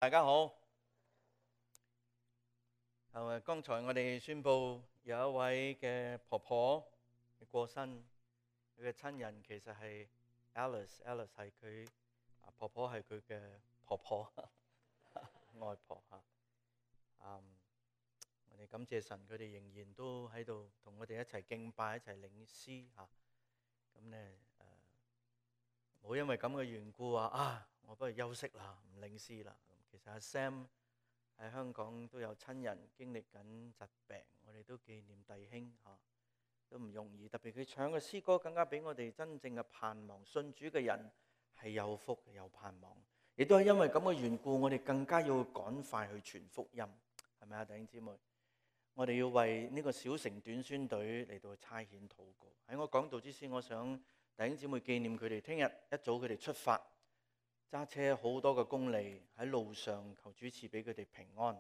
大家好。剛才我哋宣布有一位嘅婆婆過身，佢嘅親人其實係 Alice 係佢婆婆，係佢嘅婆婆外婆嚇。我哋感謝神，佢哋仍然都喺度同我哋一齊敬拜，一齊領詩嚇。咁咧冇因為咁嘅緣故我不如休息啦，唔領詩啦。其實阿 Sam 喺香港都有親人經歷緊疾病，我哋都紀念弟兄都唔容易。特別佢唱嘅詩歌更加俾我哋真正嘅盼望。信主嘅人係有福有盼望，亦都係因為咁嘅緣故，我哋更加要趕快去傳福音，係咪啊，弟兄姊妹？我哋要為呢個小城短宣隊嚟到差遣禱告。喺我講道之前，我想弟兄姊妹紀念佢哋，聽日一早佢哋出發，揸車好多個公里喺路上，求主賜俾佢哋平安。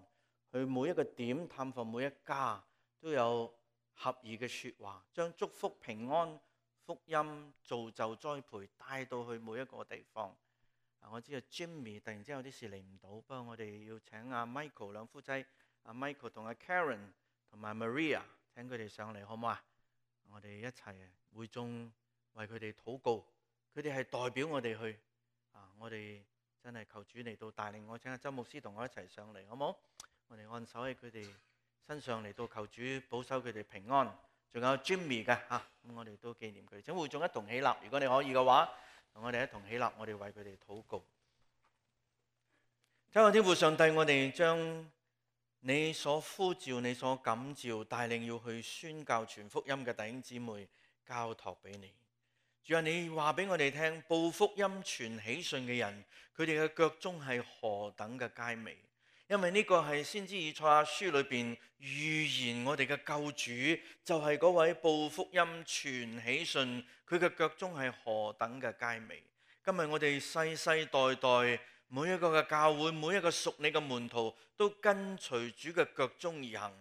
去每一個點探訪每一家，都有合意嘅說話，將祝福、平安、福音、造就、栽培帶到去每一個地方。我知道 Jimmy 突然之間有啲事嚟唔到，不過我哋要請阿 Michael 兩夫妻，阿 Michael 同阿 Karen 同埋 Maria 請佢哋上嚟好唔好啊？我哋一齊會眾為佢哋禱告，佢哋係代表我哋去我哋真係求主嚟到帶領我，請阿周牧師同我一齊上嚟好唔好？我哋按手喺佢哋身上嚟到求主保守佢哋平安。仲有 Jimmy 嘅咁我哋都紀念佢哋，請會眾一同起立。如果你可以嘅話，同我哋一同起立，我哋為佢哋禱告。親愛的天父上帝，我哋將你所呼召、你所感召、帶領要去宣教傳福音嘅弟兄姊妹交託俾你。主啊，你話俾我哋聽，報福音傳喜訊嘅人，佢哋嘅腳蹤係何等嘅佳美。因為呢個係先知以賽亞書裏邊預言我哋嘅救主，就係嗰位報福音傳喜訊，佢嘅腳蹤係何等嘅佳美。今日我哋世世代代每一個嘅教會，每一個屬你嘅門徒，都跟隨主嘅腳蹤而行，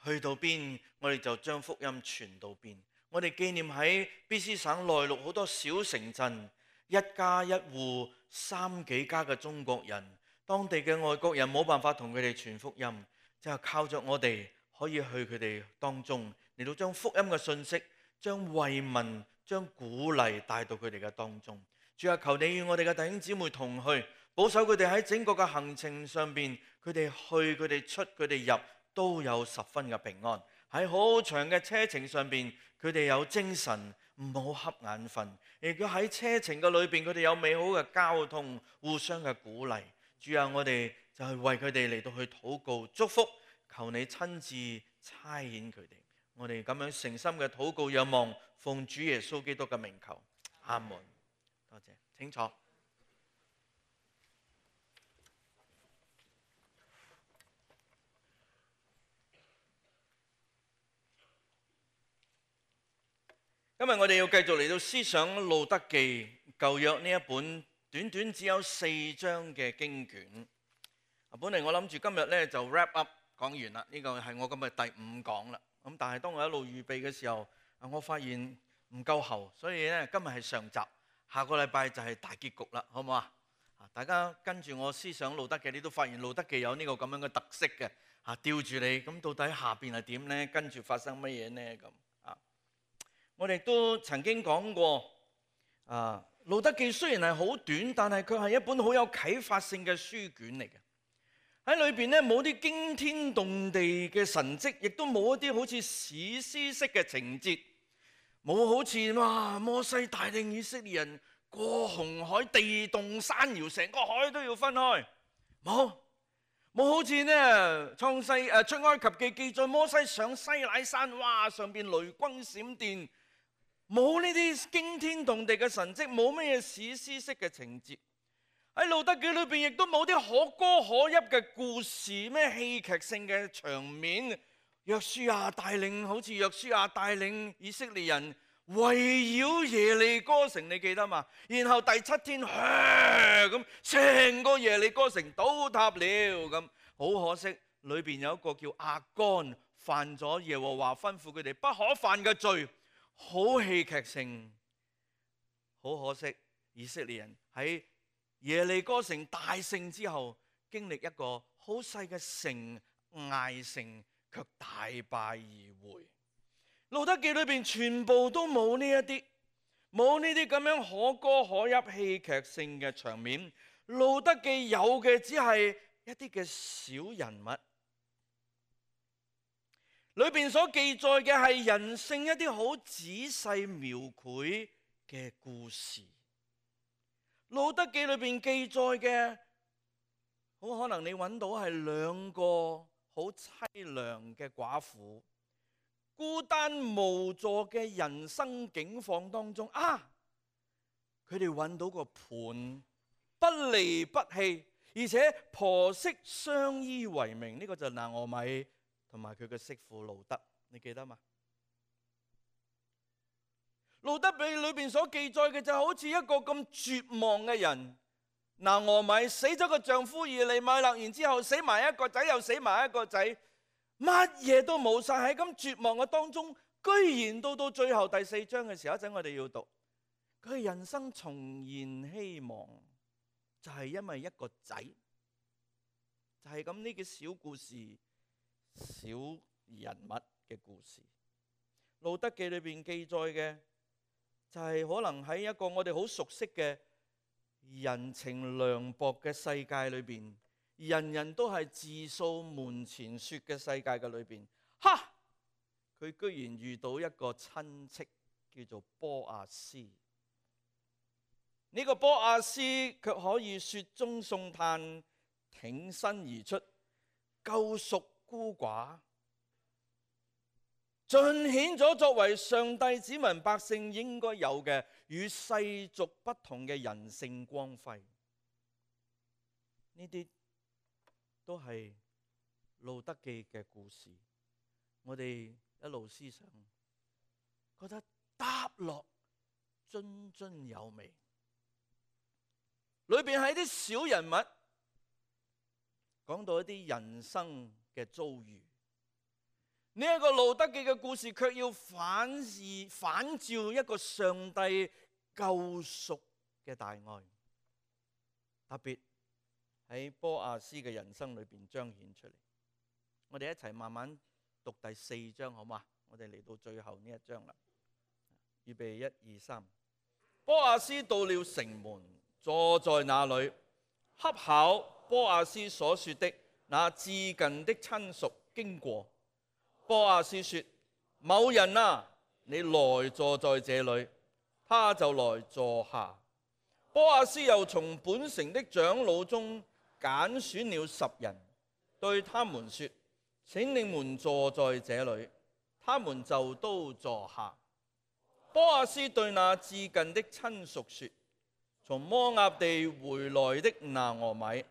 去到邊我哋就將福音傳到邊。我哋紀念喺 BC 省內陸好多小城鎮，一家一戶3幾家嘅中國人，當地嘅外國人冇辦法同佢哋傳福音，就靠着我哋可以去佢哋當中嚟到將福音嘅信息、將慰問、將鼓勵帶到佢哋嘅當中。主啊，求你與我哋嘅弟兄姊妹同去，保守佢哋喺整個嘅行程上邊，佢哋去、佢哋出、佢哋入都有十分嘅平安。喺好長嘅車程上邊，佢哋有精神，唔好瞌眼瞓。亦都喺車程嘅裏邊，佢哋有美好嘅交通，互相嘅鼓勵。主啊，我哋就係為佢哋嚟到去禱告祝福，求你親自差遣佢哋。我哋咁樣誠心嘅禱告仰望，奉主耶穌基督嘅名求，阿門。多謝，請坐。今日我哋要繼續嚟到思想路德記舊約呢一本短短只有4章嘅經卷。本嚟我諗住今日咧就 wrap up 講完啦，呢個係我今日第5講啦。咁但係當我一路預備嘅時候，我發現唔夠喉，所以咧今日係上集，下個禮拜就係大結局啦，好唔好啊？大家跟住我思想路德記，你都發現路德記有呢個咁樣嘅特色嘅，吊住你，咁到底下邊係點咧？跟住發生乜嘢咧？咁我哋都曾經講過，路德記雖然係好短，但係佢係一本好有啟發性嘅書卷嚟嘅。喺裏邊咧冇啲驚天動地嘅神蹟，亦都冇一啲好似史詩式嘅情節，冇好似摩西帶領以色列人過紅海，地動山搖，成個海都要分開，冇好似出埃及記記載摩西上西乃山，上邊雷轟閃電。冇呢啲驚天動地嘅神蹟，冇乜嘢史詩式嘅情節。喺路德記裏邊亦都冇啲可歌可泣嘅故事，咩戲劇性嘅場面。好似約書亞帶領以色列人圍繞耶利哥城，你記得嘛？然後第7天咁，成個耶利哥城倒塌了咁。好可惜，裏邊有一個叫亞干犯咗耶和華吩咐佢哋不可犯嘅罪。好戲劇性，好可惜，以色列人喺耶利哥城大勝之後，經歷一個好細嘅城，艾城卻大敗而回。路得記裏邊全部都冇呢一啲，冇呢啲咁樣可歌可泣、戲劇性嘅場面。路得記有嘅只係一啲嘅小人物，裏邊所記載嘅係人性一啲好仔細描繪嘅故事。路得記裏邊記載嘅，好可能你揾到係兩個好淒涼嘅寡婦，孤單無助嘅人生境況當中佢哋揾到個伴，不離不棄，而且婆媳相依為命。呢個就係拿俄米同埋佢嘅媳婦路得，你記得嘛？路得記裏邊所記載嘅就好似一個咁絕望嘅人。拿俄米死咗個丈夫以利米勒，然之後死埋一個仔，又死埋一個仔，乜嘢都冇晒。喺咁絕望嘅當中，居然到最後第4章嘅時候，一陣我哋要讀，佢人生重燃希望，就係因為一個仔，就係咁呢個小故事、小人物嘅故事。路得記裏邊記載嘅就係可能喺一個我哋好熟悉嘅人情涼薄嘅世界裏邊，人人都係自掃門前雪嘅世界嘅裏邊，佢居然遇到一個親戚叫做波阿斯。呢個波阿斯卻可以雪中送炭，挺身而出，救贖孤寡，盡顯咗作為上帝子民百姓應該有嘅與世俗不同嘅人性光輝。呢啲都係路得記嘅故事，我哋一路思想，覺得答落津津有味。裏邊係啲小人物，講到一啲人生嘅遭遇。呢一個路得記嘅故事，卻要反照一個上帝救贖嘅大愛，特別喺波阿斯嘅人生裏邊彰顯出嚟。我哋一齊慢慢讀第4章好嗎？我哋嚟到最後呢一章啦。預備1、2、3。波阿斯到了城門，坐在那裏，恰巧波阿斯所說的那至近的親屬經過。波阿斯說：某人啊，你來坐在這裏。他就來坐下。波阿斯又從本城的長老中揀選了10人，對他們說：請你們坐在這裏。他們就都坐下。波阿斯對那至近的親屬說：從摩押地回來的拿俄米，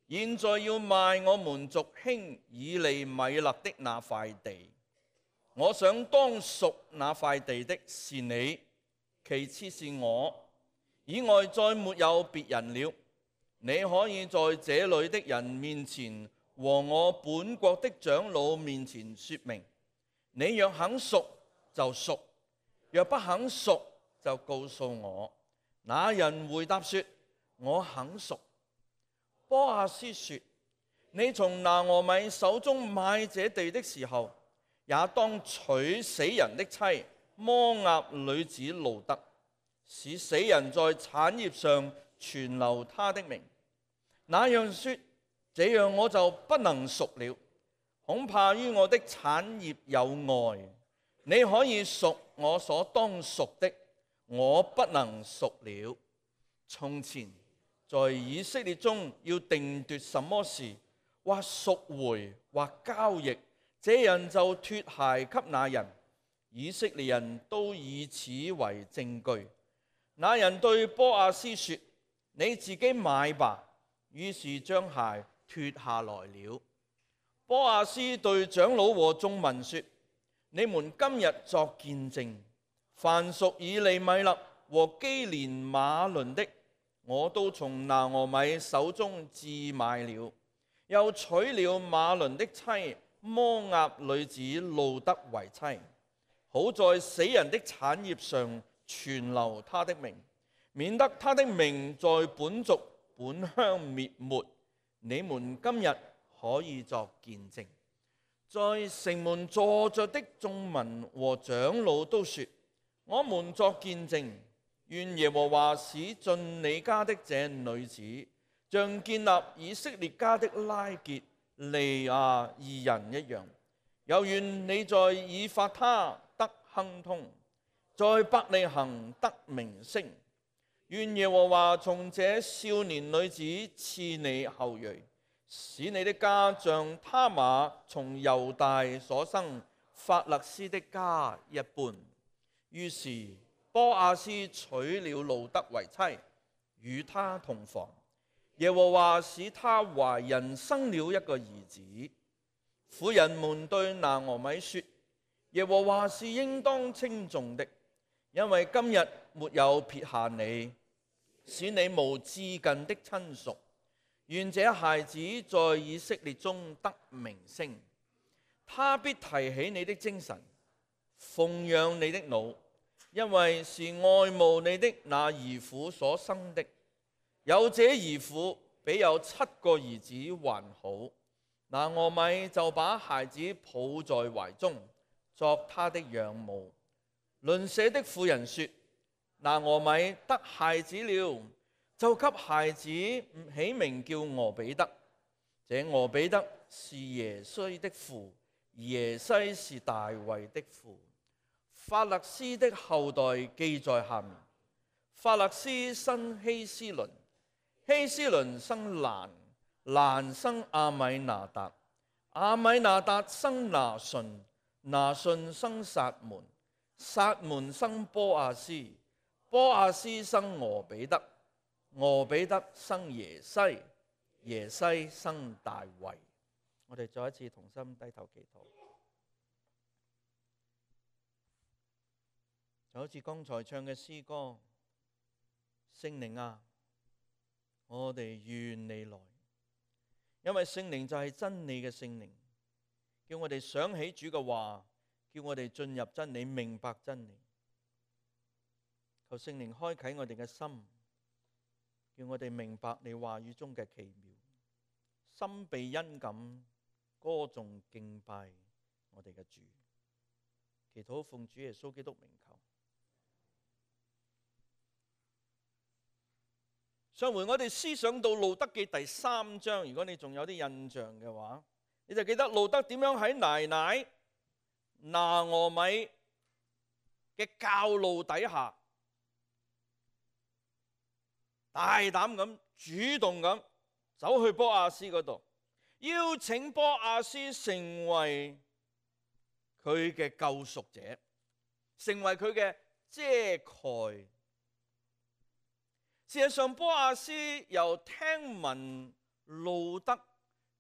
現在要賣我們族兄以利米勒的那塊地。我想當贖那塊地的是你，其次是我，以外再沒有別人了。你可以在這裏的人面前和我本國的長老面前說明。你若肯贖就贖，若不肯贖就告訴我。那人回答說：我肯贖。波阿斯說：你從拿俄米手中買這地的時候，也當娶死人的妻摩押女子路得，使死人在產業上存留他的名。那樣說，這樣我就不能贖了，恐怕於我的產業有礙。你可以贖我所當贖的，我不能贖了。從前在以色列中要定奪什麼事，或贖回或交易，這人就脫鞋給那人。以色列人都以此為證據。那人對波阿斯說：你自己買吧。於是將鞋脫下來了。波阿斯對長老和眾民說：你們今日作見證，凡屬以利米勒和基連馬倫的，我都從拿俄米手中置買了，又娶了馬倫的妻摩押女子路得為妻，好在死人的產業上存留他的名，免得他的名在本族本鄉滅沒。你們今日可以作見證。在城門坐着的眾民和長老都說：我們作見證，願耶和華使進你家的這女子，像建立以色列家的拉結利亞二人一樣。又願你在以法他得亨通，在伯利恆得名聲。願耶和華從這少年女子賜你後裔，使你的家像他瑪從猶大所生法勒斯的家一般。於是波阿斯娶了路得為妻，與他同房。耶和華使她懷孕，生了一個兒子。婦人們對拿俄米說：耶和華是應當稱頌的，因為今日沒有撇下你，使你無至近的親屬。願這孩子在以色列中得名聲，他必提起你的精神，奉養你的腦，因為是愛慕你的那兒婦所生的。有這兒婦比有7個兒子還好。拿俄米就把孩子抱在懷中，作他的養母。鄰舍的婦人說：拿俄米得孩子了，就給孩子起名叫俄比德。這俄比德是耶西的父，耶西是大衛的父。法勒斯的後代記在下面。法勒斯生希斯倫，希斯倫生蘭，蘭生亞米拿達，亞米拿達生拿順，拿順生撒門，撒門生波阿斯，波阿斯生俄比德，俄比德生耶西，耶西生大衛。我哋再一次同心低頭祈禱。就好似剛才唱嘅詩歌，聖靈啊，我哋願你來，因為聖靈就係真理嘅聖靈，叫我哋想起主嘅話，叫我哋進入真理，明白真理。求聖靈開啟我哋嘅心，叫我哋明白你話語中嘅奇妙，心被恩感，歌頌敬拜我哋嘅主。祈禱奉主耶穌基督名求。上回我哋思想到路得記第3章，如果你仲有啲印象嘅話，你就記得路得點樣喺奶奶拿俄米嘅教路底下，大膽咁主動咁走去波阿斯嗰度，邀請波阿斯成為佢嘅救贖者，成為佢嘅遮蓋。事實上，波阿斯由聽聞路得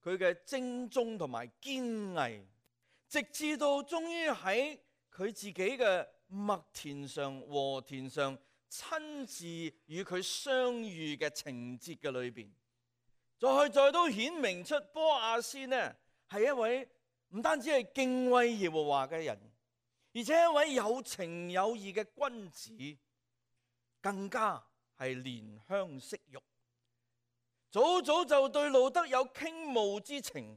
佢嘅精忠同埋堅毅，直至到終於喺佢自己嘅麥田上、禾田上親自與佢相遇嘅情節嘅裏邊，再都顯明出波阿斯呢係一位唔單止係敬畏耶和華嘅人，而且一位有情有義嘅君子，更加係憐香惜玉，早就對路得有傾慕之情，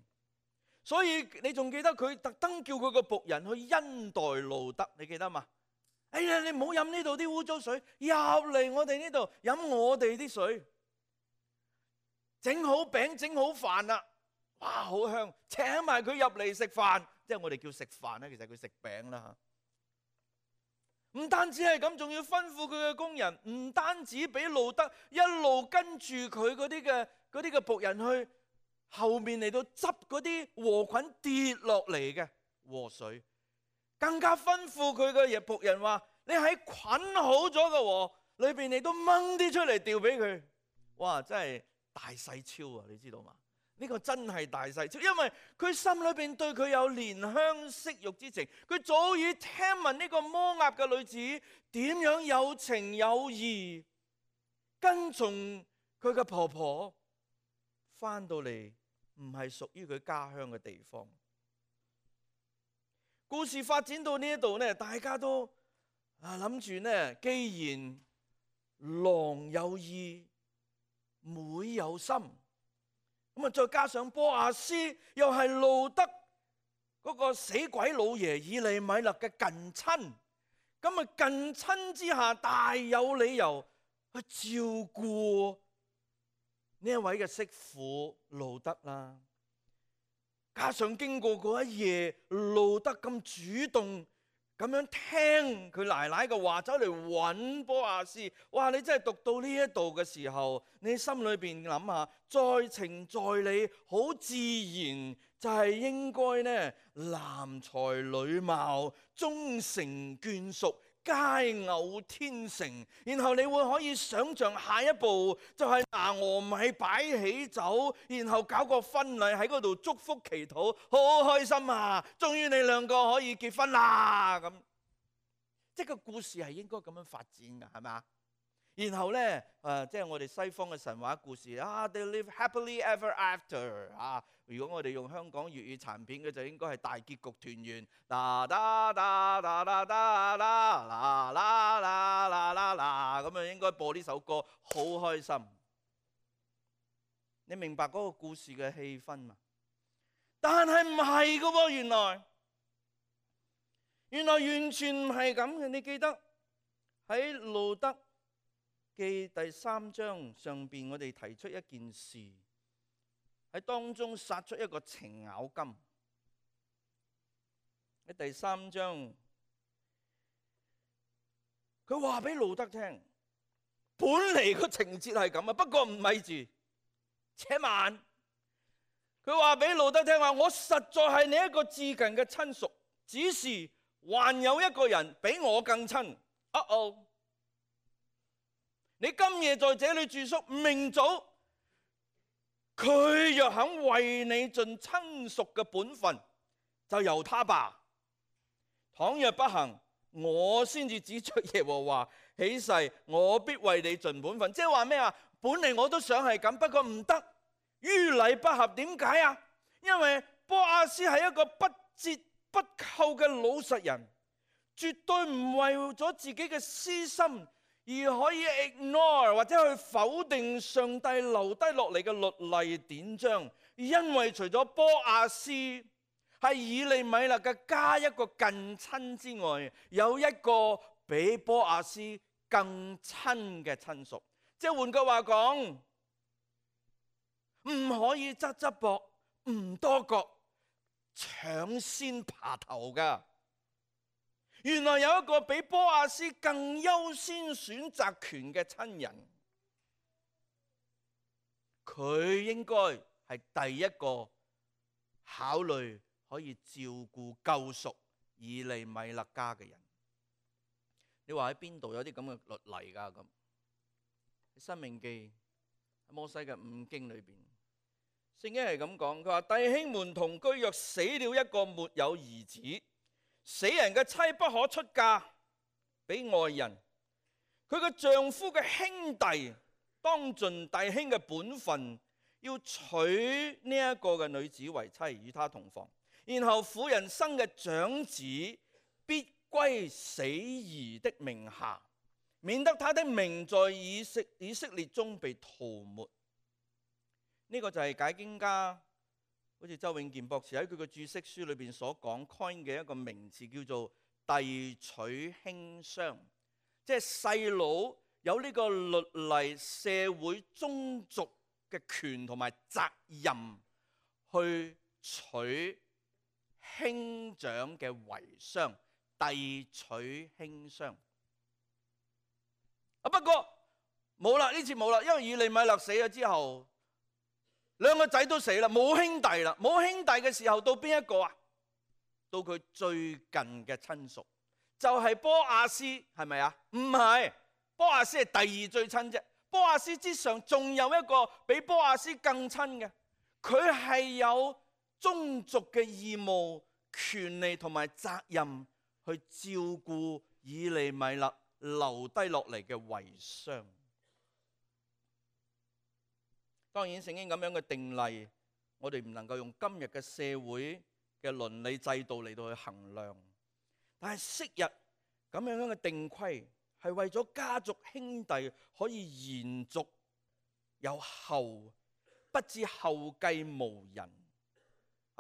所以你仲記得佢特登叫佢個僕人去恩待路得，你記得嘛？哎呀，你唔好飲呢度啲污糟水，入嚟我哋呢度飲我哋啲水，整好餅整好飯啦，哇，好香，請埋佢入嚟食飯，即係我哋叫食飯啦，其實佢食餅啦。唔單止係咁，仲要吩咐佢嘅工人，唔單止俾路得一路跟住佢嗰啲嘅僕人去後面嚟到執嗰啲禾捆跌落嚟嘅禾穗，更加吩咐佢嘅僕人話：你喺捆好咗嘅禾裏邊，你都掹啲出嚟掉俾佢。哇！真係大細超啊！你知道嘛？呢個真係大細超，因為佢心裏邊對佢有憐香惜玉之情，佢早已聽聞呢個摩押嘅女子點樣有情有義，跟從佢嘅婆婆翻到嚟唔係屬於佢家鄉嘅地方。故事發展到呢一度呢，大家都諗住呢，既然郎有意，妹有心，咁啊，再加上波亞斯又係路德嗰個死鬼老爺以利米勒嘅近親，咁啊近親之下大有理由去照顧呢一位嘅媳婦路德啦。加上經過嗰一夜，路德咁主動咁樣聽佢奶奶嘅話，走嚟揾波亞斯。哇！你真係讀到呢一度嘅時候，你心裏邊諗下，在情在理，好自然就係應該呢，男才女貌，終成眷屬，佳偶天成。然後你會可以想像下一步就係拿俄米擺喜酒，然後搞個婚禮喺嗰度祝福祈禱，好開心啊！終於你兩個可以結婚啦咁。即係個故事係應該咁樣發展㗎，係咪？然後呢，即係我哋西方嘅神話故事啊 ，they live happily ever after 啊。如果我哋用香港粵語殘片嘅，就應該係大結局團圓，啦啦啦啦啦啦啦啦啦啦啦啦咁啊，應該播呢首歌，好開心。你明白嗰個故事嘅氣氛嘛？但係唔係㗎喎，原來完全唔係咁嘅。你記得喺路德記第3章上邊，我哋提出一件事，喺當中殺出一個程咬金。喺第3章，佢話俾路德聽，本嚟個情節係咁啊，不過唔咪住，且慢。佢話俾路德聽話，我實在係你一個至近嘅親屬，只是還有一個人比我更親。你今夜在這裏住宿，明早佢若肯為你盡親屬嘅本分，就由他吧。倘若不行，我先至指着耶和華起誓，我必為你盡本分。即係話咩啊？本嚟我都想係咁，不過唔得，於禮不合。點解啊？因為波亞斯係一個不折不扣嘅老實人，絕對唔為咗自己嘅私心而可以 ignore 或者去否定上帝留低落嚟嘅律例典章。因為除咗波亞斯係以利米勒嘅加一個近親之外，有一個比波亞斯更親嘅親屬。即係換句話講，唔可以側側膊，唔多覺，搶先爬頭㗎。原來有一個比波亞斯更優先選擇權嘅親人，佢應該係第一個考慮可以照顧救贖以利米勒家嘅人。你話喺邊度有啲咁嘅律例㗎？咁喺申命記喺摩西嘅5經裏邊，聖經係咁講，佢話弟兄們同居，若死了一個沒有兒子，死人嘅妻不可出嫁俾外人，佢嘅丈夫嘅兄弟當盡弟兄嘅本分，要娶呢一個嘅女子為妻，與她同房。然後婦人生嘅長子必歸死兒的名下，免得他的名在以色列中被塗抹。呢個就係解經家好似周永健博士喺佢嘅注釋書裏邊所講 coin 嘅一個名詞，叫做弟娶兄孀，即係細佬有呢個律例社會宗族嘅權同埋責任去娶兄長嘅遺孀，弟娶兄孀。不過冇啦，呢次冇啦，因為以利米勒死咗之後，兩個仔都死啦，冇兄弟啦。冇兄弟嘅時候，到邊一個啊？到佢最近嘅親屬，就係波亞斯，係咪啊？唔係，波亞斯係第2最親啫。波亞斯之上仲有一個比波亞斯更親嘅，佢係有宗族嘅義務、權利同埋責任去照顧以利米勒留低落嚟嘅遺孀。當然聖經咁樣嘅定例，我哋唔能夠用今日嘅社會嘅倫理制度嚟到去衡量。但係昔日咁樣嘅定規係為咗家族兄弟可以延續有後，不致後繼無人。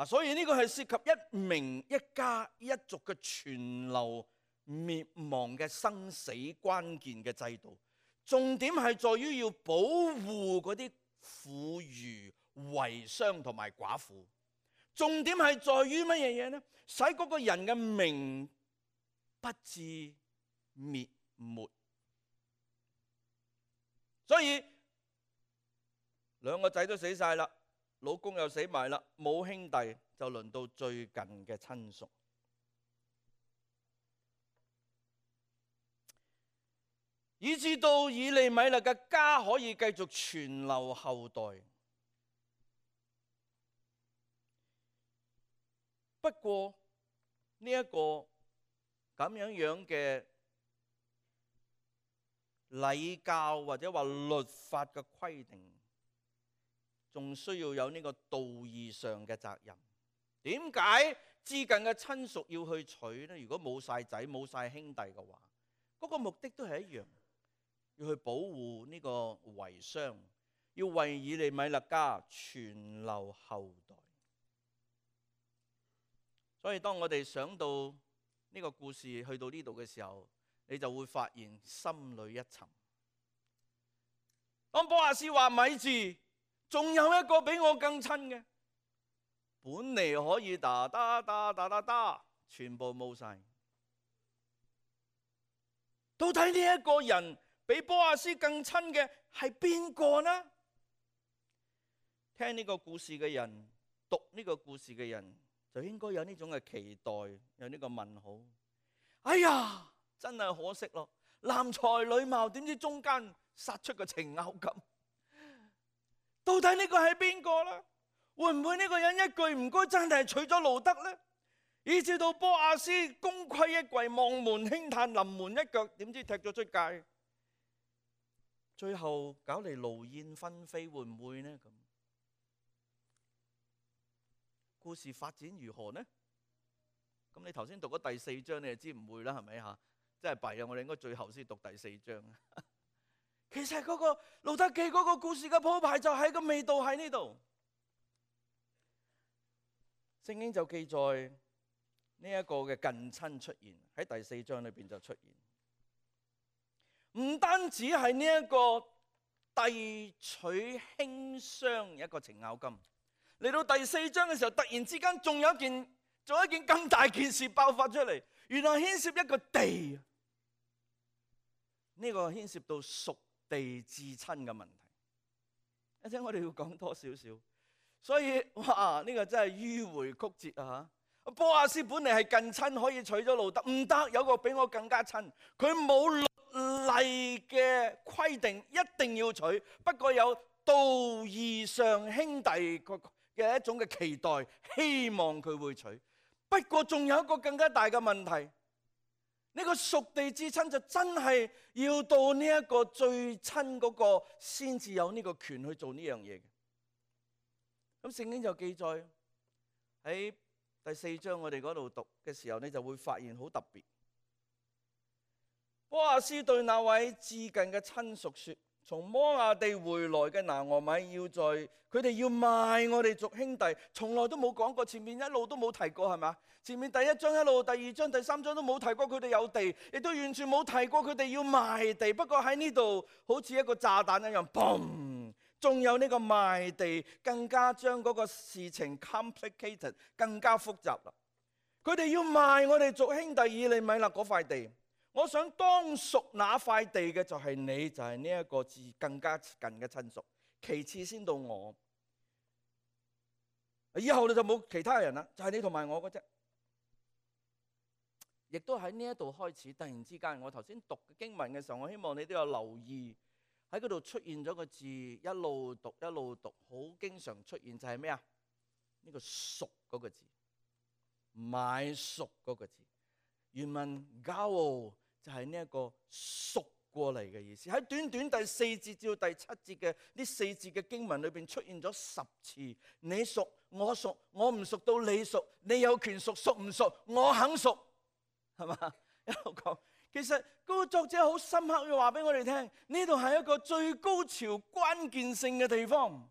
所以呢個係涉及一名一家一族嘅存留滅亡嘅生死關鍵嘅制度。重點係在於要保護嗰啲婦孺、遺孀同埋寡婦。重點係在於乜嘢嘢呢？使嗰個人嘅名不致滅沒。所以兩個仔都死晒啦，老公又死埋啦，冇兄弟，就輪到最近嘅親屬。以至到以利米勒嘅家可以繼續傳留後代。不過呢一個咁樣嘅禮教或者話律法嘅規定，仲需要有呢個道義上嘅責任。點解至近嘅親屬要去娶呢？如果冇晒仔冇晒兄弟嘅話，嗰個目的都係一樣，要去保護呢個遺孀，要為以利米勒家傳留後代。所以當我哋想到呢個故事去到呢度嘅時候，你就會發現心裏一沉。當波阿斯話咪住，仲有一個比我更親嘅，本嚟可以打，全部冇晒。到底呢一個人比波阿斯更親嘅係邊個呢？聽呢個故事嘅人，讀呢個故事嘅人，就應該有呢種嘅期待，有呢個問號。哎呀，真係可惜咯！男才女貌，點知中間殺出個程咬金？到底呢個係邊個呢？會唔會呢個人一句唔該真係娶咗路得呢？以至到波阿斯功虧一簣，望門輕嘆，臨門一腳，點知踢咗出界？最後搞嚟勞燕分飛，會唔會呢？咁故事發展如何呢？咁你頭先讀咗第4章，你就知唔會啦，係咪嚇？真係弊啊！我哋應該最後先讀第4章。其實嗰個路得記嗰個故事嘅鋪排就係個味道喺呢度。聖經就記載呢一個嘅近親出現喺第4章裏邊就出現，唔單止係呢一個遞娶馨香一個程咬金，嚟到第4章嘅時候，突然之間仲有一件咁大件事爆發出嚟，原來牽涉一個地，呢個牽涉到屬地至親嘅問題。一陣我哋要講多少少，所以哇，呢個真係迂迴曲折啊！波阿斯本嚟係近親，可以娶咗路得，唔得，有個比我更加親，佢冇律例嘅規定一定要娶，不過有道義上兄弟嘅一種嘅期待，希望佢會娶。不過仲有一個更加大嘅問題，呢個屬地至親就真係要到呢一個最親嗰個先至有呢個權去做呢樣嘢嘅。咁聖經就記載喺第4章我哋嗰度讀嘅時候，你就會發現好特別。波阿斯對那位至近嘅親屬說：從摩亞地回來嘅拿俄米佢哋要賣我哋族兄弟，從來都冇講過，前面一路都冇提過，係咪？前面第1章一路，第2章、第3章都冇提過佢哋有地，亦都完全冇提過佢哋要賣地。不過喺呢度好似一個炸彈一樣，嘣！仲有呢個賣地，更加將嗰個事情 complicated， 更加複雜啦。佢哋要賣我哋族兄弟以利米勒嗰塊地。我想當屬那塊地嘅就係你，就係呢一個更加近嘅親屬，其次先到我，以後你就冇其他人啦，就係你同埋我嘅啫。亦都喺呢一度開始，突然之間，我頭先讀經文嘅時候，我希望你都有留意喺嗰度出現咗個字，一路讀，好經常出現就係咩啊？呢個屬嗰個字，買贖嗰個字，原文交就係呢一個贖過嚟嘅意思。喺短短第4節至到第7節嘅呢4節嘅經文裏邊出現咗10次，你贖我贖，我唔贖到你贖，你有權贖，贖唔贖我肯贖，係嘛？一路講，其實嗰個作者好深刻要話俾我哋聽，呢度係一個最高潮關鍵性嘅地方。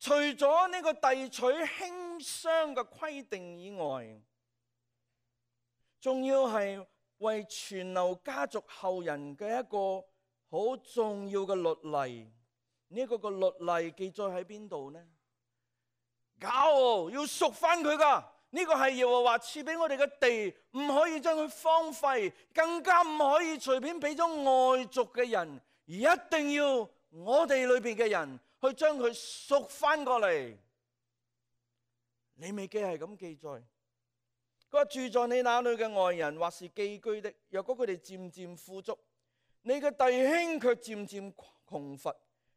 除咗呢個遞取馨香嘅規定以外，仲要係為傳流家族後人嘅一個好重要嘅律例。呢個律例記載喺邊度呢？搞要贖翻佢噶。呢個係耶和華賜俾我哋嘅地，唔可以將佢荒廢，更加唔可以隨便俾咗外族嘅人，而一定要我哋裏邊嘅人去將佢贖翻過嚟。利未記係咁記載，佢話住在你那裏嘅外人或是寄居的，若果佢哋漸漸富足，你嘅弟兄卻漸漸窮乏，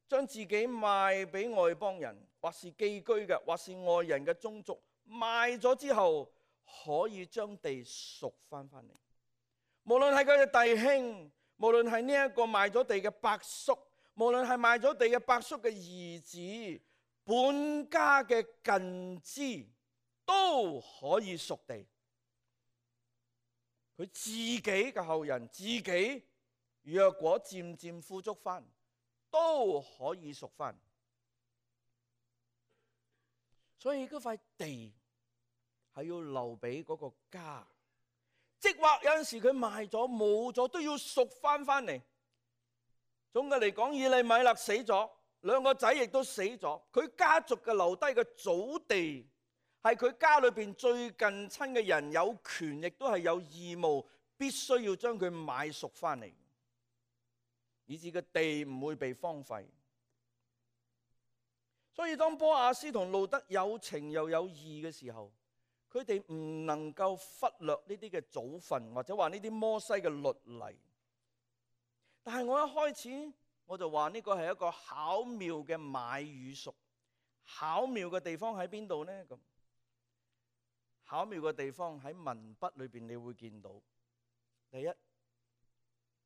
將自己賣俾外邦人，或是寄居嘅，或是外人嘅宗族，賣咗之後，可以將地贖翻嚟。無論係佢嘅弟兄，無論係呢一個賣咗地嘅伯叔，無論係賣咗地嘅伯叔嘅兒子，本家嘅近支都可以贖地。佢自己嘅後人，自己若果漸漸富足翻，都可以贖翻。所以嗰塊地係要留俾嗰個家，即或有陣時佢賣咗冇咗，都要贖翻嚟。總嘅嚟講，以利米勒死咗，兩個仔亦都死咗，佢家族嘅留低嘅祖地係佢家裏邊最近親嘅人有權，亦都係有義務，必須要將佢買贖翻嚟，以致個地唔會被荒廢。所以當波亞斯同路得有情又有義嘅時候，佢哋唔能夠忽略呢啲嘅祖訓，或者話呢啲摩西嘅律例。但係我一開始我就話呢個係一個巧妙嘅買與贖。巧妙嘅地方喺邊度呢？咁巧妙嘅地方喺文筆裏邊，你會見到第一，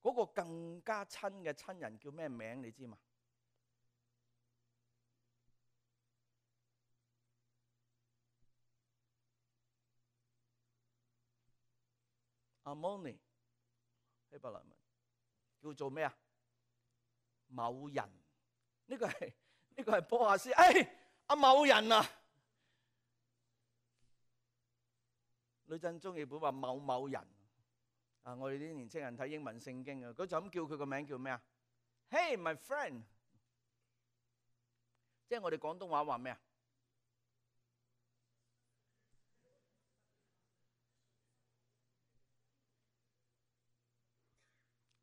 嗰個更加親嘅親人叫咩名？你知嘛？阿摩尼希伯來文叫做咩啊？某人。呢個係波亞斯。阿某人啊，呂振中譯本話某某人。我哋啲年青人睇英文聖經啊，佢就咁叫佢個名叫咩啊？Hey my friend， 即係我哋廣東話話咩啊？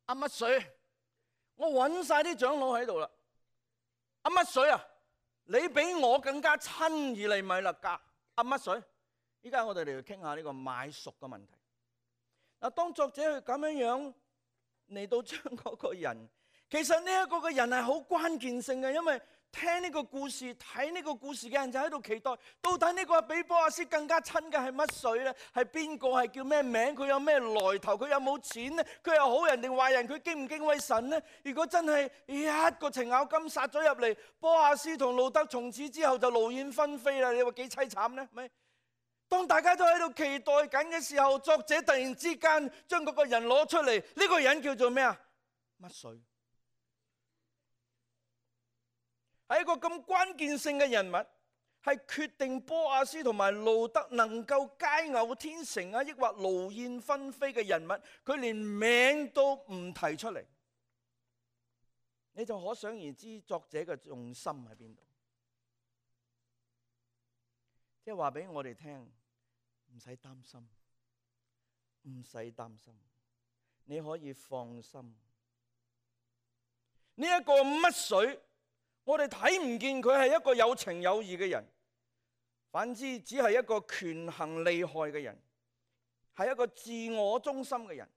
阿乜水，我揾晒啲長老喺度啦。阿乜水啊，你比我更加親以利米勒家。阿乜水，依家我哋嚟傾下呢個買贖嘅問題。嗱，當作者佢咁樣嚟到將嗰個人，其實呢一個嘅人係好關鍵性嘅，因為聽呢個故事、睇呢個故事嘅人就喺度期待，到底呢個比波亞斯更加親嘅係乜水呢？係邊個？係叫咩名？佢有咩來頭？佢有冇錢呢？佢係好人定壞人？佢敬唔敬畏神呢？如果真係一個程咬金殺咗入嚟，波亞斯同路得從此之後就勞燕分飛啦！你話幾凄慘呢？咪？當大家都喺度期待緊嘅時候，作者突然之間將嗰個人攞出嚟，呢個人叫做咩啊？乜水？係一個咁關鍵性嘅人物，係決定波亞斯同埋路得能夠佳偶天成啊，抑或勞燕分飛嘅人物，佢連名都唔提出嚟，你就可想而知作者嘅重心喺邊度。即係話俾我哋聽，唔使擔心，唔使擔心，你可以放心。呢一個乜水？我哋睇唔見佢係一個有情有義嘅人，反之只係一個權衡利害嘅人，係一個自我中心嘅人，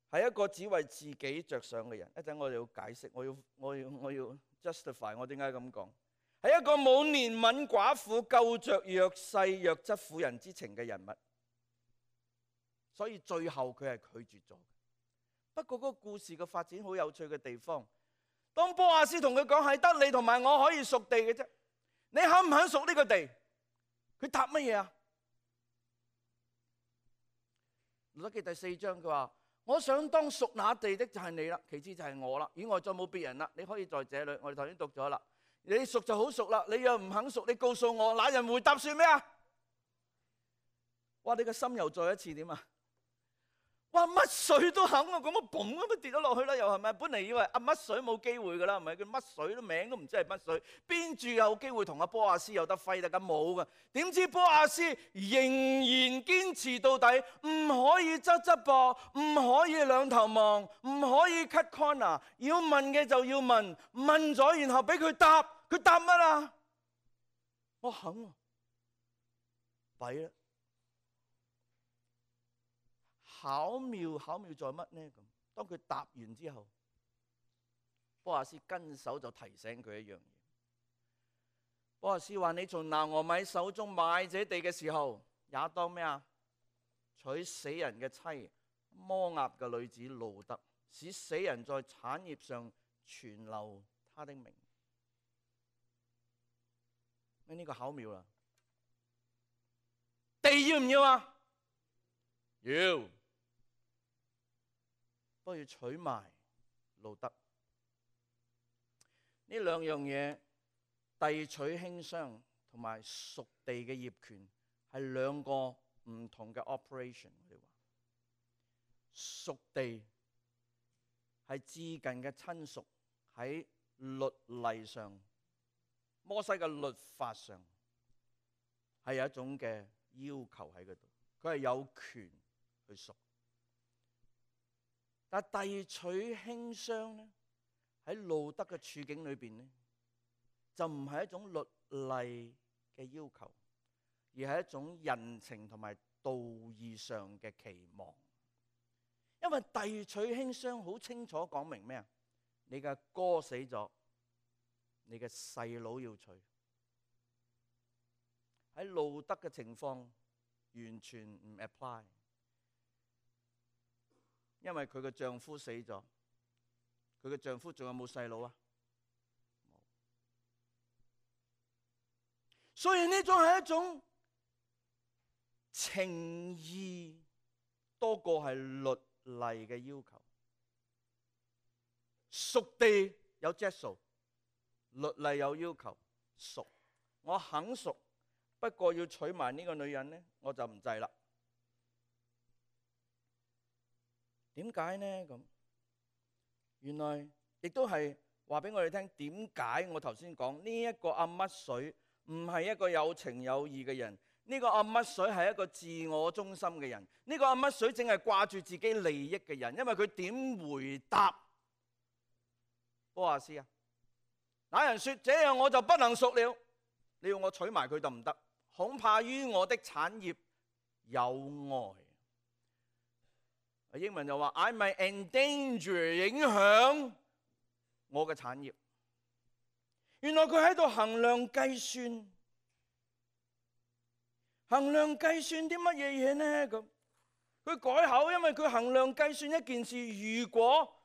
係一個只為自己着想嘅人。一陣我哋要解釋，我要 justify 我點解咁講，係一個冇憐憫寡婦、救着弱勢弱質婦人之情嘅人物，所以最後佢係拒絕咗。不過嗰個故事嘅發展好有趣嘅地方，當波亞斯同佢講係得你同埋我可以贖地嘅啫，你肯唔肯贖呢個地？佢答乜嘢啊？路得記第4章佢話：我想當贖那地的就係你啦，其次就係我啦，以外再冇別人啦。你可以在這裏，我哋頭先讀咗啦。你熟就好熟啦，你又唔肯熟，你告訴我，那人回答算咩啊？哇！你個心又再一次點啊？哇！乜水都肯啊，咁我嘣咁跌咗落去啦，又係咪？本嚟以為乜水冇機會噶啦，係咪？佢乜水都名都唔知係乜水，邊住有機會同阿波亞斯有得揮得咁冇噶？點知波亞斯仍然堅持到底，唔可以側側膊，唔可以兩頭望，唔可以 cut corner， 要問嘅就要問，問咗然後俾佢答，佢答乜啊？我肯喎，弊啦！巧妙在乜呢？咁當佢答完之後，波亞斯跟手就提醒佢一樣嘢。波亞斯話：你從拿俄米手中買這地嘅時候，也當咩啊？娶死人嘅妻摩押嘅女子路得，使死人在產業上存留他的名。呢個巧妙啦！地要唔要啊？要。都要娶埋路得，呢兩樣嘢，遞取馨香同埋屬地嘅業權係兩個唔同嘅 operation。我哋話屬地係至近嘅親屬，喺律例上，摩西嘅律法上係有一種嘅要求喺嗰度，佢係有權去屬。但遞取馨香咧，喺路得嘅處境裏邊咧，就唔係一種律例嘅要求，而係一種人情同埋道義上嘅期望。因為遞取馨香好清楚講明咩啊？你嘅哥死咗，你嘅細佬要娶。喺路得嘅情況完全唔 apply。因為佢嘅丈夫死咗，佢嘅丈夫仲有冇細佬啊？冇。所以呢種係一種情義多過係律例嘅要求。屬地有質素，律例有要求。屬，我肯屬，不過要娶埋呢個女人呢，我就唔制啦。點解呢？咁原來亦都係話俾我哋聽，點解我頭先講呢一個阿乜水唔係一個有情有義嘅人？呢個阿乜水係一個自我中心嘅人。呢個阿乜水淨係掛住自己利益嘅人。因為佢點回答波亞斯啊？那人說：這樣我就不能屬了。你要我娶埋佢就唔得，恐怕於我的產業有礙。英文就話 I might endanger， 影響我嘅產業。原來佢喺度衡量計算，衡量計算啲乜嘢嘢呢？咁佢改口，因為佢衡量計算一件事。如果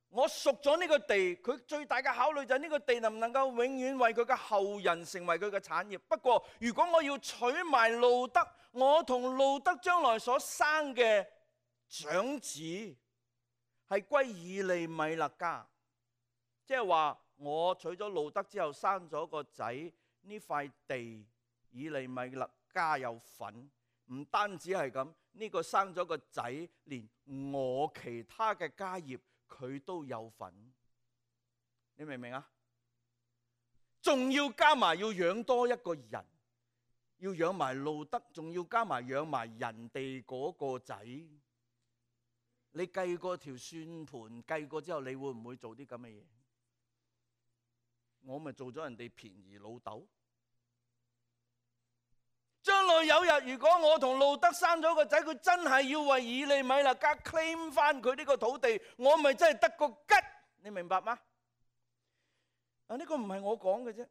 我屬咗呢個地，佢最大嘅考慮就係呢個地能唔能夠永遠為佢嘅後人成為佢嘅產業。不過如果我要娶埋路得，我同路得將來所生嘅長子係歸以利米勒家，即係話我娶咗路得之後生咗個仔，呢塊地以利米勒家有份。唔單止係咁，呢個生咗個仔，連我其他嘅家業佢都有份。你明唔明啊？仲要加埋要養多一個人，要養埋路得，仲要加埋養埋人哋嗰個仔。你計過條算盤，計過之後，你會唔會做啲咁嘅嘢？我咪做咗人哋便宜老豆。將來有日，如果我同路得生咗個仔，佢真係要為以利米勒家 claim 翻佢呢個土地，我咪真係得個吉。你明白嗎？呢個唔係我講嘅啫，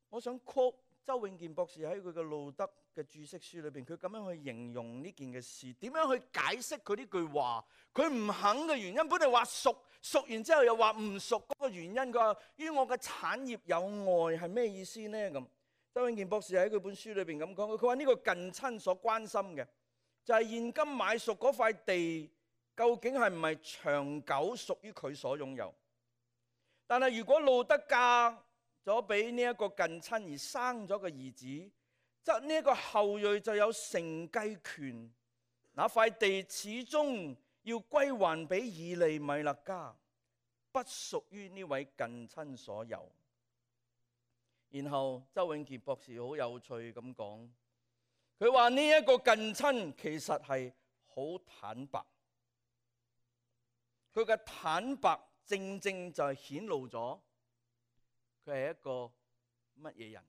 我想 quote 周永健博士喺佢嘅路得嘅注釋書裏邊，佢咁樣去形容呢件嘅事，點樣去解釋佢呢句話？佢唔肯嘅原因，本嚟話屬，屬完之後又話唔屬，嗰個原因佢話於我嘅產業有礙，係咩意思呢？咁周永健博士喺佢本書裏邊咁講，佢話呢個近親所關心嘅就係現今買屬嗰塊地究竟係唔係長久屬於佢所擁有？但係如果路得嫁咗俾呢一個近親而生咗個兒子，則呢一個後裔就有承繼權。那塊地始終要歸還俾以利米勒家，不屬於呢位近親所有。然後周永傑博士好有趣咁講，佢話呢一個近親其實係好坦白，佢嘅坦白正正就係顯露咗佢係一個乜嘢人。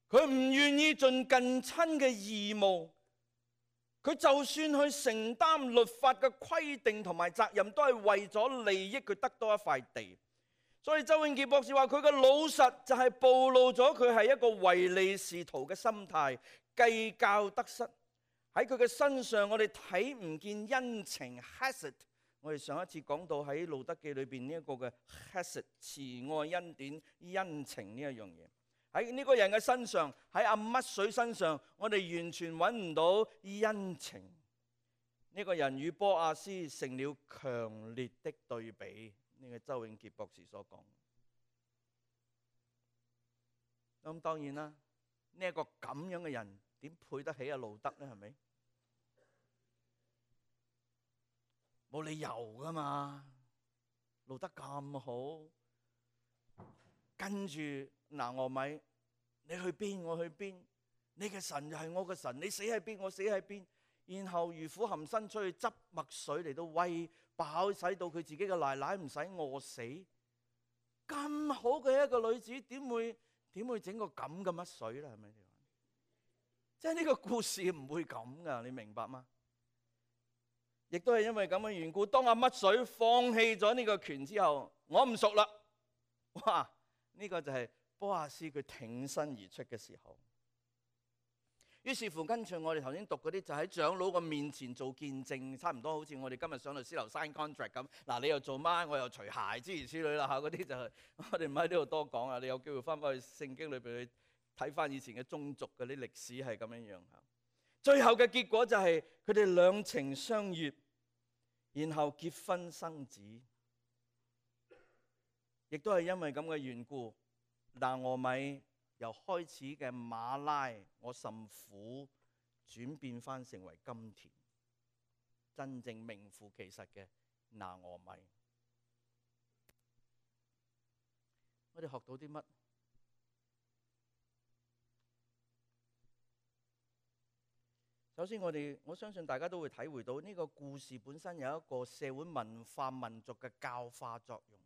佢唔願意盡近親嘅義務，佢就算去承擔律法嘅規定同埋責任，都係為咗利益佢得多一塊地。所以周永傑博士話佢嘅老實就係暴露咗佢係一個唯利是圖嘅心態，計較得失。喺佢嘅身上，我哋睇唔見恩情 Hesed。我哋上一次講到喺路德記裏邊呢一個嘅 Hesed 慈愛恩典恩情呢一樣嘢。喺呢個人嘅身上，喺阿乜水身上，我哋完全揾唔到恩情。呢個人與波亞斯成了強烈的對比。呢個周永傑博士所講。咁當然啦，呢一個咁樣嘅人點配得起阿路德呢？係咪？冇理由噶嘛，路德咁好，跟住拿俄米，你去邊我去邊，你嘅神就係我嘅神，你死喺邊我死喺邊，然後如虎含辛出去執麥穗嚟到餵飽，使到佢自己嘅奶奶唔使餓死。咁好嘅一個女子，點會整個咁嘅乜水咧？係咪？即係呢個故事唔會咁噶，你明白嗎？亦都係因為咁嘅緣故，當阿乜水放棄咗呢個權之後，我唔熟啦。哇！呢個就係波亞斯佢挺身而出嘅時候。於是乎，跟住我哋頭先讀嗰啲，就喺長老嘅面前做見證，差唔多好似我哋今日上律師樓 sign contract 咁。嗱，你又做乜？我又除鞋，諸如此類啦嚇。嗰啲就係我哋唔喺呢度多講啊。你有機會翻返去聖經裏邊去睇翻以前嘅宗族嗰啲歷史係咁樣樣嚇。最後嘅結果就係佢哋兩情相悅，然後結婚生子。亦都係因為咁嘅緣故，拿俄米由開始嘅馬拉我甚苦，轉變翻成為甘甜，真正名副其實嘅拿俄米。我哋學到啲乜？首先我相信大家都會體會到呢個故事本身有一個社會文化民族嘅教化作用。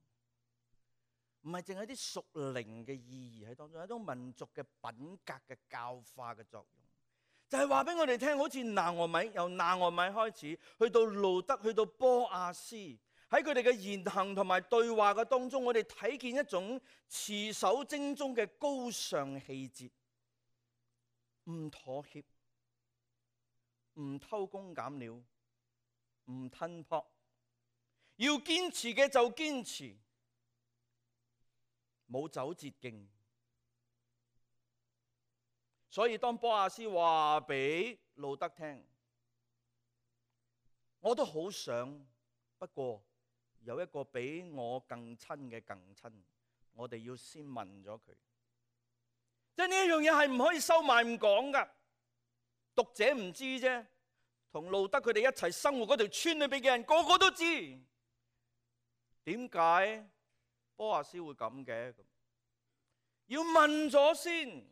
唔係淨係啲屬靈嘅意義喺當中，係一種民族嘅品格嘅教化嘅作用，就係話俾我哋聽，好似拿俄米，由拿俄米開始，去到路德，去到波亞斯，喺佢哋嘅言行同埋對話嘅當中，我哋睇見一種持守精忠嘅高尚氣節，唔妥協，唔偷工減料，唔吞撲，要堅持嘅就堅持。冇走捷徑，所以當波亞斯話俾路德聽，我都好想，不過有一個比我更親嘅更親，我哋要先問咗佢。即係呢一樣嘢係唔可以收埋唔講噶，讀者唔知啫，同路德佢哋一齊生活嗰條村裏邊嘅人個個都知，點解波亞斯會咁嘅？要問咗先。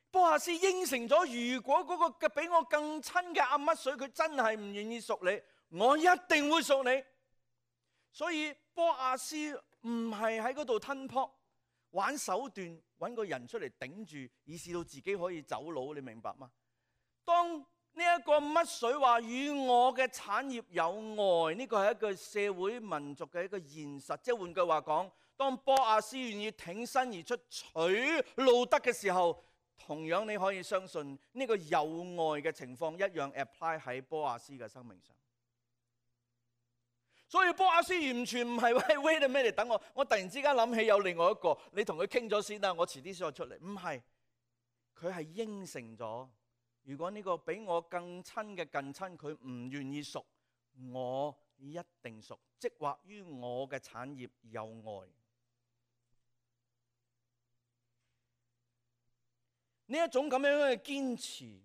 波亞斯應承咗，如果嗰個比我更親嘅阿乜水佢真係唔願意屬你，我一定會屬你。所以波亞斯唔係喺嗰度吞撲玩手段，揾個人出嚟頂住，以致到自己可以走佬。你明白嗎？當呢一個乜水話與我嘅產業有礙，呢個係一個社會民族嘅一個現實。即係換句話講，當波亞斯願意挺身而出娶路德嘅時候，同樣你可以相信呢個有礙嘅情況一樣 apply 喺波亞斯嘅生命上。所以波亞斯完全唔係喂 wait a minute，等我突然之間諗起有另外一個，你同佢傾咗先啦，我遲啲先再出嚟。唔係，佢係應承咗。如果呢個比我更親嘅近親佢唔願意屬，我一定屬，即或於我嘅產業有愛。呢一種咁樣嘅堅持，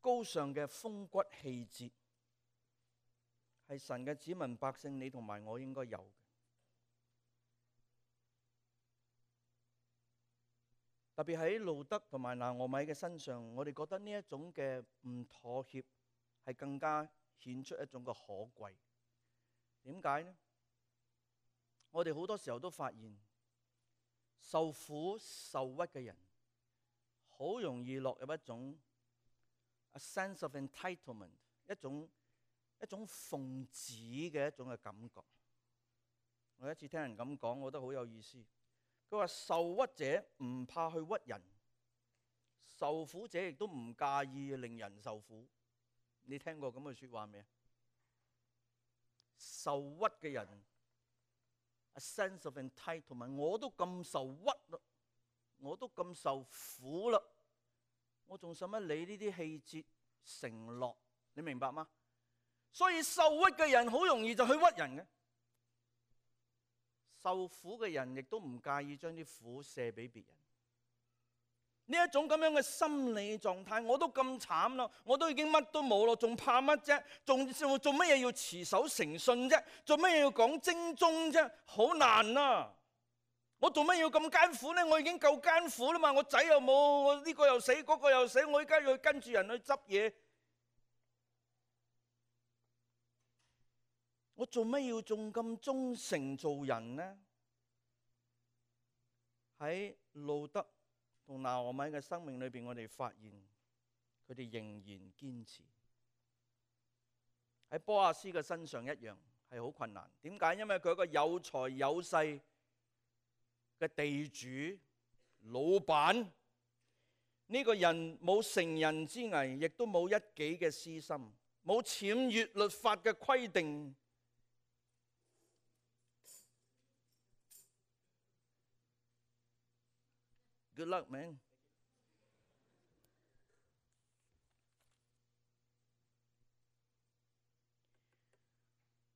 高尚嘅風骨氣節，係神嘅子民百姓，你同埋我應該有嘅。特別喺路德同埋拿俄米嘅身上，我哋覺得呢一種嘅唔妥協係更加顯出一種嘅可貴。點解呢？我哋好多時候都發現，受苦受屈嘅人，好容易落入一種 a sense of entitlement， 一種奉旨嘅一種嘅感覺。我有一次聽人咁講，我覺得好有意思。佢話受屈者唔怕去屈人，受苦者亦都唔介意令人受苦。你聽過咁嘅說話未啊？受屈嘅人 a sense of entitlement， 我都咁受屈啦，我都咁受苦啦，我仲使乜理呢啲氣節承諾？你明白嗎？所以受屈嘅人好容易就去屈人嘅。受苦嘅人亦都唔介意將啲苦卸俾別人。呢一種咁樣嘅心理狀態，我都咁慘啦，我都已經乜都冇咯，仲怕乜啫？仲做乜嘢要持守誠信啫？做乜嘢要講精忠啫？好難啊！我做乜要咁艱苦呢？我已經夠艱苦啦嘛！我仔又冇，我呢個又死，嗰個又死，我而家要跟住人去執嘢。我做乜要仲咁忠誠做人呢？喺路德同拿俄米嘅生命裏邊，我哋發現佢哋仍然堅持。喺波亞斯嘅身上一樣係好困難。點解？因為佢係一個有財有勢嘅地主老闆，呢個人冇成人之危，亦都冇一己嘅私心，冇僭越律法嘅規定。Good luck, man。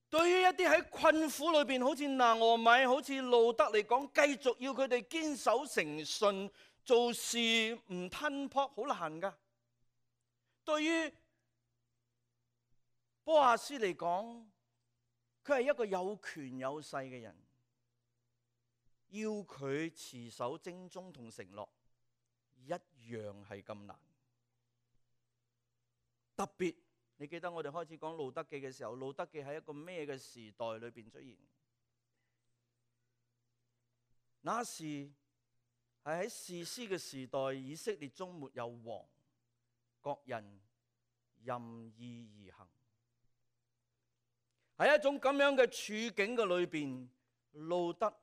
對於一啲喺困苦裏邊，好似拿俄米、好似路德嚟講，繼續要佢哋堅守誠信，做事唔吞撲，好難噶。對於波亞斯嚟講，佢係一個有權有勢嘅人。要佢持守精忠同承諾，一樣係咁難。特別你記得我哋開始講路德記嘅時候，路德記喺一個咩嘅時代裏邊出現？那時係喺士師嘅時代，以色列中沒有王，各人任意而行。喺一種咁樣嘅處境嘅裏邊，路德、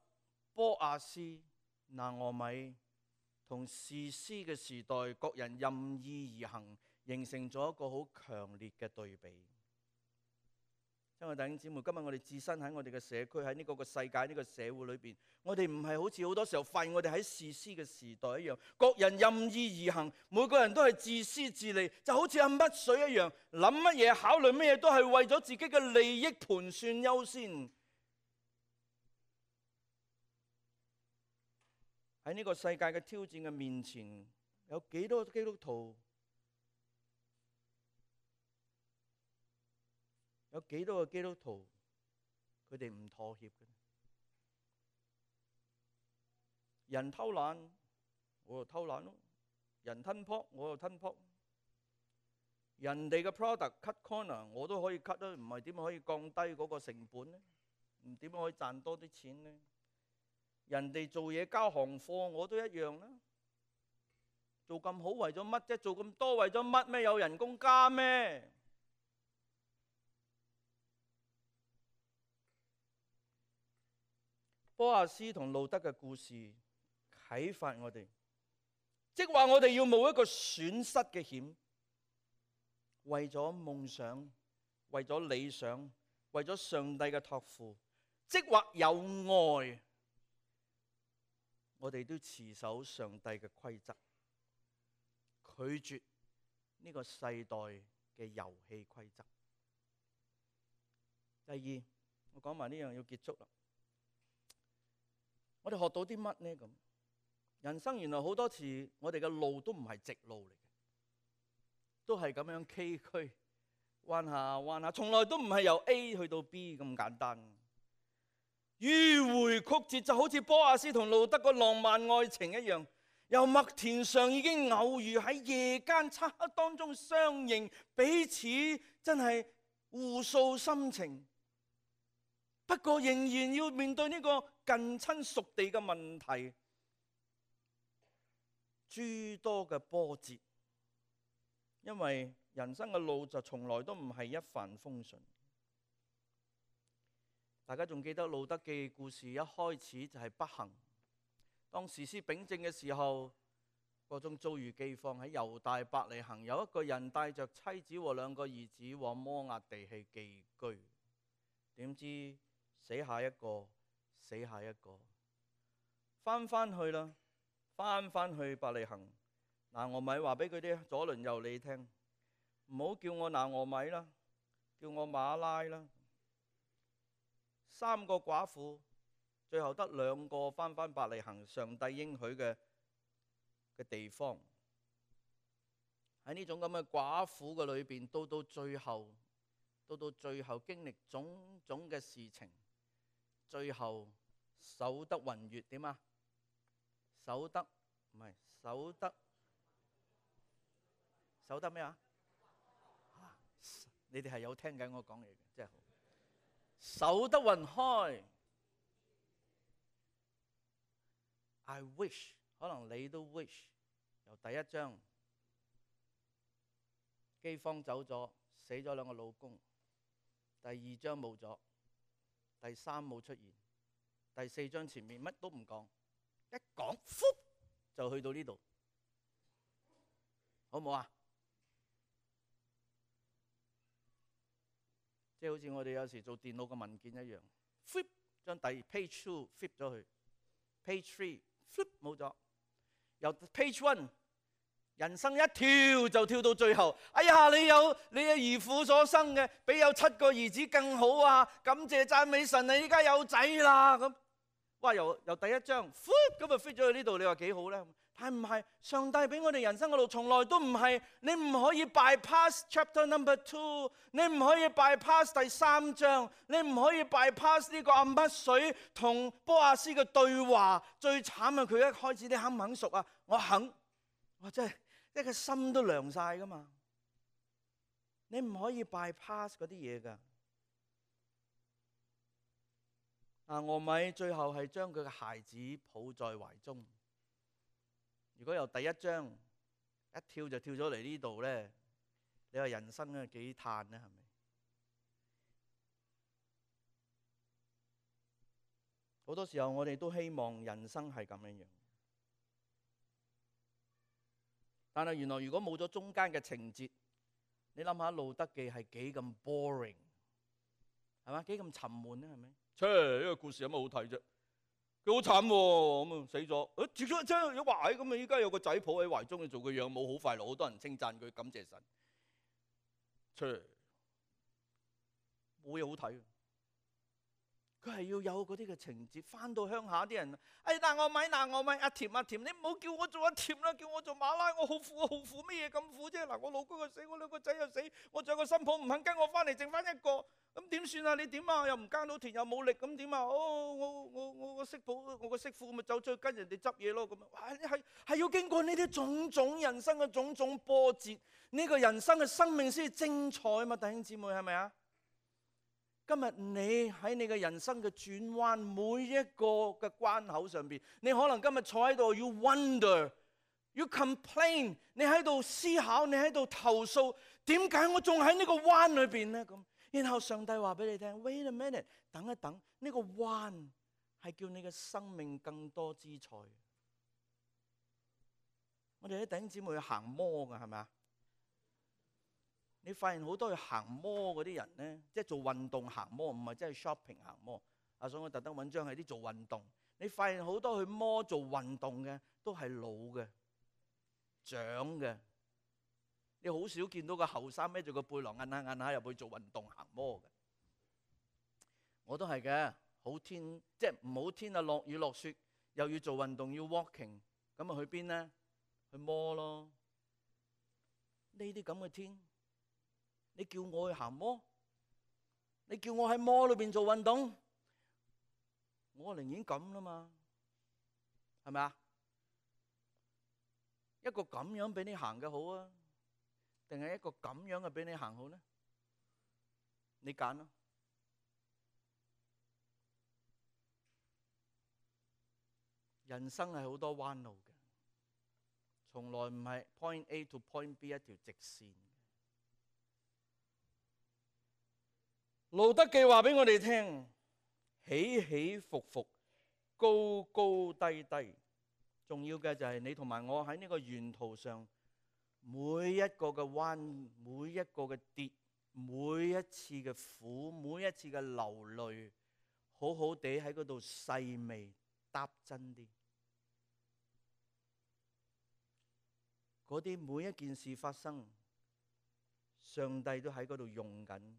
波亞斯、拿俄米同士師嘅時代，各人任意而行，形成咗一個好強烈嘅對比。親愛弟兄姊妹，今日我哋置身喺我哋嘅社區，喺呢個世界呢個社會裏邊，我哋唔係好似好多時候發現我哋喺士師嘅時代一樣，各人任意而行，每個人都係自私自利，就好似阿乜水一樣，諗乜嘢考慮乜嘢都係為咗自己嘅利益盤算優先。喺呢個世界嘅挑戰嘅面前，有幾多基督徒？有幾多個基督徒佢哋唔妥協嘅？人偷懶，我就偷懶咯；人吞撲，我就吞撲。人哋嘅 product cut corner， 我都可以 cut 啦，唔係點可以降低嗰個成本呢？唔點可以賺多啲錢呢？人哋做嘢交行貨，我都一樣啦。做咁好為咗乜啫？做咁多為咗乜咩？有人工加咩？波亞斯同路德嘅故事啟發我哋，即係話我哋要冒一個損失嘅險，為咗夢想，為咗理想，為咗上帝嘅託付，即係話有愛。我哋都持守上帝嘅規則，拒絕呢個世代嘅遊戲規則。第二，我講埋呢樣要結束啦。我哋學到啲乜呢？咁人生原來好多次，我哋嘅路都唔係直路嚟嘅，都係咁樣崎嶇，彎下彎下，從來都唔係由 A 去到 B 咁簡單。迂迴曲折，就好似波阿斯同路德個浪漫愛情一樣，由麥田上已經偶遇，喺夜間漆黑當中相認，彼此真係互訴心情。不過仍然要面對呢個近親屬地嘅問題，諸多嘅波折，因為人生嘅路就從來都唔係一帆風順。大家仲記得路德記故事一開始就係不幸，當士師秉政嘅時候，各種遭遇饑荒，喺猶大伯利恆，有一個人帶着妻子和兩個兒子往摩押地去寄居，點知死下一個，死下一個，翻去啦，翻去伯利恆。拿俄米話俾佢啲左鄰右里聽，唔好叫我拿俄米啦，叫我馬拉啦。3個寡婦，最後得2個翻伯利恆，上帝應許嘅地方。喺呢種咁嘅寡婦嘅裏邊，到最後經歷種種嘅事情，最後守得雲月點啊？守得咩啊？你哋係有聽緊我講嘢嘅，真係好。守得雲開。I wish， 可能你都 wish， 由第一章饑荒走咗，死咗2個老公，第2章冇咗，第3冇出現，第4章前面乜都唔講，一講就去到呢度，好唔好啊？即係好似我哋有時做電腦嘅文件一樣 ，flip 將第 page 2 flip 咗去 ，page 3 flip 冇咗，由 page 1人生一跳就跳到最後。哎呀，你嘅兒婦所生嘅，比有7個兒子更好啊！感謝讚美神，你依家有仔啦咁。哇！由第一章 flip 咁就 fit 咗去呢度，你話幾好咧？但係唔係，上帝俾我哋人生嘅路從來都唔係，你唔可以 bypass chapter number 2，你唔可以 bypass 第3章，你唔可以 bypass 呢個阿乜水同波阿斯嘅對話。最慘係佢一開始，你肯唔肯熟啊？我肯，我真係一個心都涼晒噶嘛。你唔可以 bypass 嗰啲嘢噶。俄米最後係將佢嘅孩子抱在懷中。如果由第一章一跳就跳咗嚟呢度咧，你話人生咧幾嘆咧？係咪？好多時候我哋都希望人生係咁樣樣，但係原來如果冇咗中間嘅情節，你諗下《路德記》係幾咁 boring， 係嘛？幾咁沉悶咧？係咪？呢個故事有乜好睇啫？佢好慘喎，咁啊死咗，接咗真係話咁啊！依家有個仔抱喺懷中，佢做個養母好快樂，好多人稱讚佢，感謝神。冇嘢好睇。佢係要有嗰啲嘅情節，翻到鄉下啲人，拿我米，阿甜，你唔好叫我做阿甜啦，叫我做馬拉，我好苦，乜嘢咁苦啫？嗱，我老公又死，我2個仔又死，我仲有個新抱唔肯跟我翻嚟，剩翻1個，咁點算啊？你點啊？又唔耕到田，又冇力，咁點啊？我個媳婦咪走出去跟人哋執嘢咯，咁啊，係要經過呢啲種種人生嘅種種波折，呢個人生嘅生命先至精彩啊嘛！弟兄姊妹係咪啊？今日你喺你嘅人生嘅轉彎，每一個嘅關口上邊，你可能今日坐喺度要 wonder， 要 complain， 你喺度思考，你喺度投訴，點解我仲喺呢個彎裏邊呢？咁，然後上帝話俾你聽 ，wait a minute， 等一等，呢個彎係叫你嘅生命更多姿彩。我哋啲弟兄姊妹去行摩㗎，係咪啊？你發現好多去行摩嗰啲人咧，即係做運動行摩，唔係真係 shopping 行摩。所以我特登揾張係啲做運動。你發現好多去摩做運動嘅都係老嘅、長嘅。你好少見到個後生孭住個背囊，摁下入去做運動行摩嘅。我都係嘅，好天即係唔好天啊，落雨落雪，又要做運動要 walking， 咁啊去邊呢？去摩咯。呢啲咁嘅天，你叫我去行摩，你叫我喺摩裏邊做運動，我寧願咁啦嘛，係咪啊？一個咁樣俾你行嘅好啊，定係一個咁樣嘅俾你行好呢？你揀咯。人生係好多彎路嘅，從來唔係 point A to point B 一條直線。路德記話俾我哋聽，起起伏伏，高高低低，重要嘅就係你同埋我喺呢個沿途上，每一個嘅彎，每一個嘅跌，每一次嘅苦，每一次嘅流淚，好好地喺嗰度細味踏真啲。嗰啲每一件事發生，上帝都喺嗰度用緊，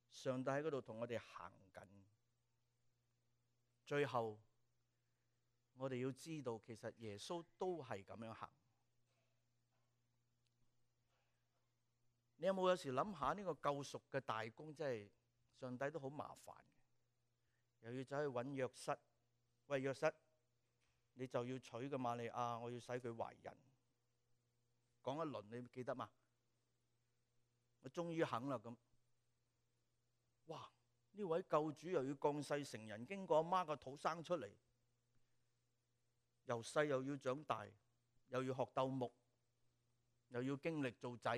上帝喺嗰度同我哋行緊。最後，我哋要知道，其實耶穌都係咁樣行。你有冇有時諗下呢個救贖嘅大功，真係上帝都好麻煩嘅，又要走去揾約瑟，喂，約瑟，你就要娶個瑪利亞，我要使佢懷孕。講一輪，你記得嘛？我終於肯啦咁。哇！呢位救主又要降世成人，經過阿媽個肚生出嚟，由細又要長大，又要學鬥木，又要經歷做仔，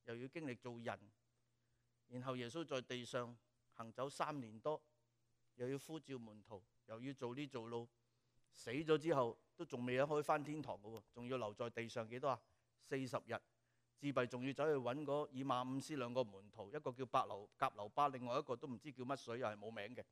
又要經歷做人。然後耶穌在地上行走3年多，又要呼召門徒，又要做呢做路。死咗之後都仲未可以返天堂嘅喎，仲要留在地上幾多啊？40日，自閉仲要走去揾嗰以馬忤斯2個門徒，一個叫革流巴，另外一個都唔知叫乜水，又係冇名嘅。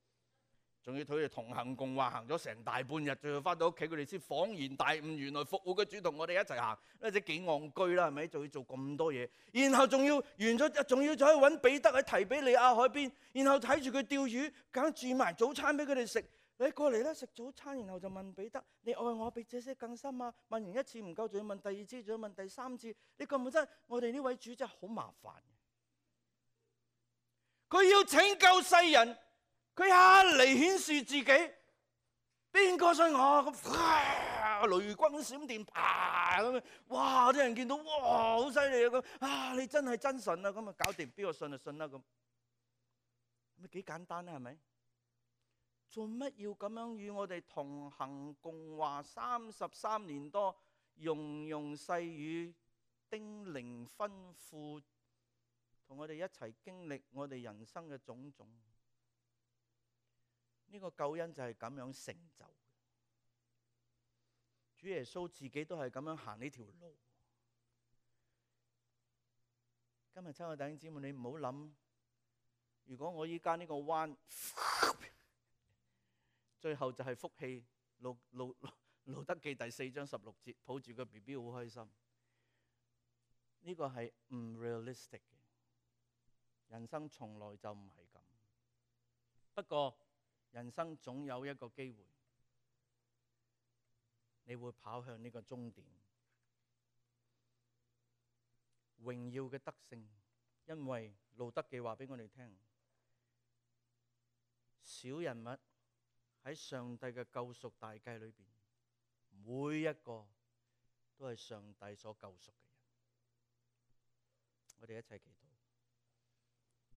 仲要同佢哋同行共話，行咗成大半日，最後翻到屋企，佢哋先恍然大悟，原來復活嘅主同我哋一齊行，呢隻幾戇居啦，係咪？仲要做咁多嘢，然後仲要完咗，仲要走去揾彼得喺提比利亞海邊，然後睇住佢釣魚，梗煮埋早餐俾佢哋食。你過嚟啦，食早餐，然後就問彼得：你愛我比這些更深啊？問完一次唔夠，仲要問第二次，仲要問第三次。你覺唔覺得我哋呢位主真係好麻煩？佢要拯救世人，佢一嚟顯示自己，邊個信我咁？雷轟閃電，啪咁樣，哇！啲人見到，哇，好犀利啊咁啊！你真係真神啊咁啊，搞掂，邊個信就信啦咁，咪幾簡單啦，係咪？做乜要咁樣與我哋同行共話33年多，融融細語，叮嚀吩咐，同我哋一齊經歷我哋人生嘅種種？呢個救恩就係咁樣成就。主耶穌自己都係咁樣行呢條路。今日親愛弟兄姊妹，你唔好諗，如果我依家呢個彎，最後就係福氣。路德記第4章16節，抱住個 BB 好開心。呢個係唔 realistic 嘅，人生從來就唔係咁。不過人生總有一個機會，你會跑向呢個終點，榮耀嘅得勝。因為路德記話俾我哋聽，小人物喺上帝嘅救贖大計裏邊，每一個都係上帝所救贖嘅人。我哋一齊祈禱。